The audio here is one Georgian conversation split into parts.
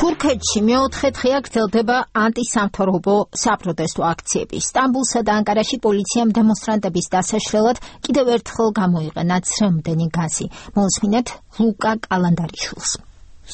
თურქეთში მეოთხე დღეა გრძელდება ანტისამთავრობო საპროტესტო აქციები. სტამბულსა და ანკარაში პოლიციამ დემონსტრანტების დასაშლელად კიდევ ერთხელ გამოიყენა ცრემლდენი გაზი. მოусმინეთ ლუკა კალანდარიშვილს.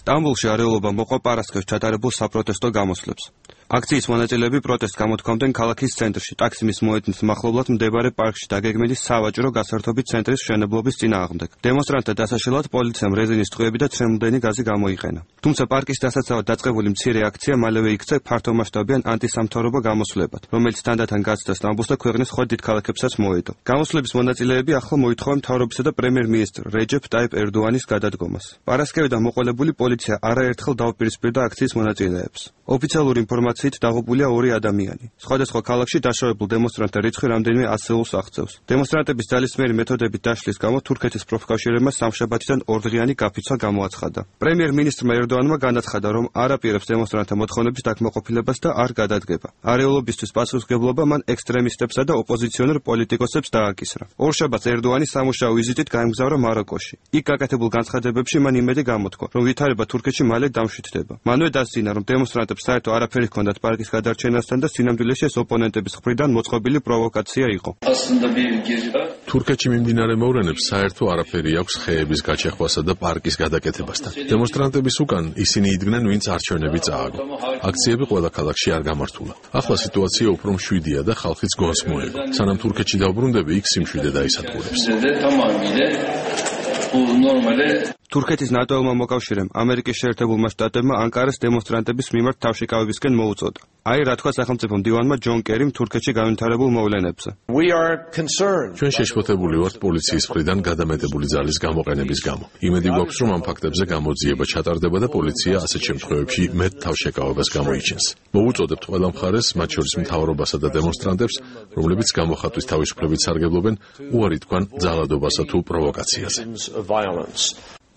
სტამბულში არეულობა მოყვა პარასკევს ჩატარებულ საპროტესტო გამოსვლებს. აქციის მონაწილეები პროტესტს გამოთქვამდნენ ქალაქის ცენტრში, ტაქსიმის მოედნის მახლობლად მდებარე პარკში დაგეგმილი სავაჭრო გასართობი ცენტრის მშენებლობის წინააღმდეგ. დემონსტრანტთა დასაშლელად პოლიციამ რეზინის ტყვიები და ცრემლდენი გაზი გამოიყენა. თუმცა პარკის დასაცავად დაწყებული მცირე აქცია მალევე იქცა ფართომასშტაბიან ანტისამთავრობო გამოსვლებად, რომელიც თანდათან გაცდა სტამბულს და ქვეყნის სხვა დიდ ქალაქებსაც მოედო. გამოსვლების მონაწილეები ახლა მოითხოვენ მთავრობისა და პრემიერ-მინისტრ რეჯეფ ტაიპ ერდოანის გადადგომას. პარასკევიდან მოყოლებული პოლიცია არაერთხელ დაუპირისპირდა აქციის მონაწილეებს. ოფიციალური ინფორმაციით დაღუპულია 2 ადამიანი. სხვადასხვა ქალაქში დაშავებულ დემონსტრანტთა რიცხვი რამდენიმე ასეულს აღწევს. დემონსტრანტების ძალისმიერი მეთოდებით დაშლის გამო თურქეთის პროფკავშირებმა სამშაბათიდან ორდღიანი გაფიცვა გამოაცხადა. პრემიერ-მინისტრმა ერდოანმა განაცხადა, რომ არ აპირებს დემონსტრანტთა მოთხოვნების დაკმაყოფილებას და არ გადადგება. არეულობისთვის პასუხისმგებლობა მან ექსტრემისტებსა და ოპოზიციონერ პოლიტიკოსებს დააკისრა. ორშაბათს ერდოანი სამუშაო ვიზიტით გაემგზავრა მაროკოში. იქ გაკეთებულ განცხადებებში მან იმედი გამოთქვა, რომ ვითარება თურქეთში მალე დამშვიდდება. მანვე დასძინა, რომ დემონსტრანტებს საერთო არაფერი ჰქონდათ პარკის გადარჩენასთან და სინამდვილეში ეს ოპონენტების მხრიდან მოწყობილი პროვოკაცია იყო. თურქეთში მიმდინარე მოვლენებს საერთო არაფერი აქვს ხეების გაჩეხვასა და პარკის გადაკეთებასთან. დემონსტრანტების უკან ისინი იდგნენ, ვინც არჩევნები წააგო. აქციები ყველა ქალაქში არ გამართულა. ახლა სიტუაცია უფრო მშვიდია და ხალხიც გონს მოეგო. სანამ თურქეთში დავბრუნდები, იქ სიმშვიდე დაისადგურებს. თურქეთის ნატოელმა მოკავშირემ ამერიკის შეერთებულმა შტატებმა ანკარას დემონსტრანტების მიმართ თავშეკავებისკენ მოუწოდა. აი რა თქვა სახელმწიფო მდივანმა ჯონ კერიმ თურქეთში განვითარებულ მოვლენებზე. ჩვენ შეშფოთებული ვართ პოლიციის მხრიდან გადამეტებული ძალის გამოყენების გამო. იმედი გვაქვს, რომ ამ ფაქტებზე გამოძიება ჩატარდება და პოლიცია ასეთ შემთხვევებში მეტ თავშეკავებას გამოიჩენს. მოუწოდებთ ყველა მხარეს, მათ შორის მთავრობასა და დემონსტრანტებს, რომლებიც გამოხატვის თავისუფლებით სარგებლობენ, უარი თქვან ძალადობასა თუ პროვოკაციაზე.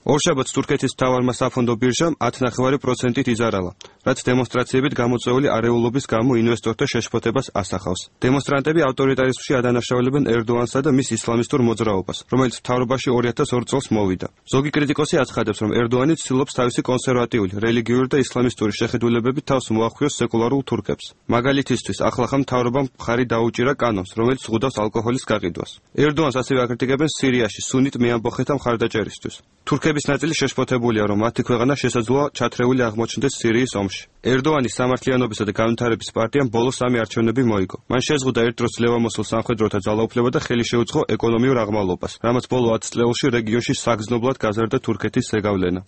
ორშაბათს თურქეთის მთავარმა საფონდო ბირჟამ 10.9%-ით იზარალა, რაც დემონსტრაციებით გამოწვეული არეულობის გამო ინვესტორთა შეშფოთებას ასახავს. დემონსტრანტები ავტორიტარიზმში ადანაშაულებენ ერდოანსა და მის ისლამისტურ მოძრაობას, რომელიც მთავრობაში 2002 წელს მოვიდა. ზოგი კრიტიკოსი აცხადებს, რომ ერდოანი ცდილობს თავისი კონსერვატიული, რელიგიური და ისლამისტური შეხედულებებით თავს მოახვიოს სეკულარულ თურქებს. მაგალითისთვის, ახლახან მთავრობამ მხარი დაუჭირა კანონს, რომელიც ზღუდავს ალკოჰოლის გაყიდვას. ერდოანს ასევე აკრიტიკებენ სირიაში სუნიტ მეამბოხეთა მხარდაჭერისთვის. თურქების ნაწილი შეშფოთებულია, რომ მათი ქვეყანა შესაძლოა ჩათრეული აღმოჩნდეს სირიის ომში. ერდოანის სამართლიანობისა და განვითარების პარტიამ ბოლოს 3 არჩევნები მოიგო. მან შეზღუდა ერთ დროს ძლევამოსილ სამხედროთა ძალაუფლება და ხელი შეუწყო ეკონომიურ აღმავლობას, რამაც ბოლო 10 წლეულში რეგიონში საგრძნობლად გაზარდა თურქეთის ზეგავლენა.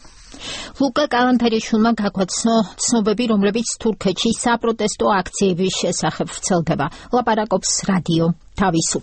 ლუკა კალანდარიშვილმა გაგვაცნო ცნობები, რომლებიც თურქეთში საპროტესტო აქციების შესახებ ვრცელდება. ლაპარაკობს რადიო თავისუფლება.